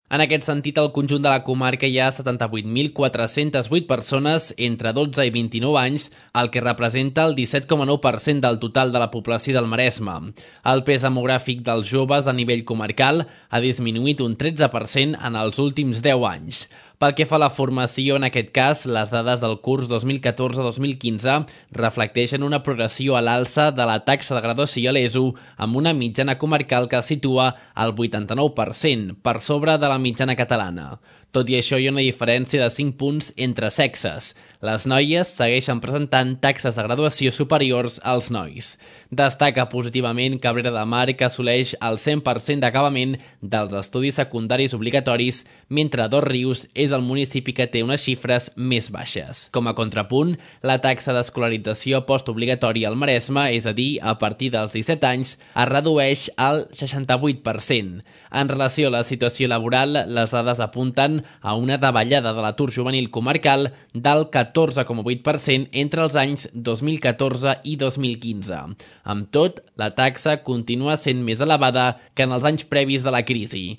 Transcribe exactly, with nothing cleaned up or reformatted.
En aquest sentit, al conjunt de la comarca hi ha setanta-vuit mil quatre-centes vuit persones entre dotze i vint-i-nou anys, el que representa el disset coma nou per cent del total de la població del Maresme. El pes demogràfic dels joves a nivell comarcal ha disminuït un tretze per cent en els últims deu anys. Pel que fa a la formació, en aquest cas, les dades del curs dos mil catorze dos mil quinze reflecteixen una progressió a l'alça de la taxa de graduació a l'E S O amb una mitjana comarcal que es situa al vuitanta-nou per cent, per sobre de la mitjana catalana. Tot i això, hi ha una diferència de cinc punts entre sexes. Les noies segueixen presentant taxes de graduació superiors als nois. Destaca positivament Cabrera de Mar, que assoleix el cent per cent d'acabament dels estudis secundaris obligatoris, mentre Dosrius és el municipi que té unes xifres més baixes. Com a contrapunt, la taxa d'escolarització postobligatòria al Maresme, és a dir, a partir dels disset anys, es redueix al seixanta-vuit per cent. En relació a la situació laboral, les dades apunten a una davallada de l'atur juvenil comarcal del catorze coma vuit per cent entre els anys dos mil catorze i dos mil quinze. Amb tot, la taxa continua sent més elevada que en els anys previs de la crisi.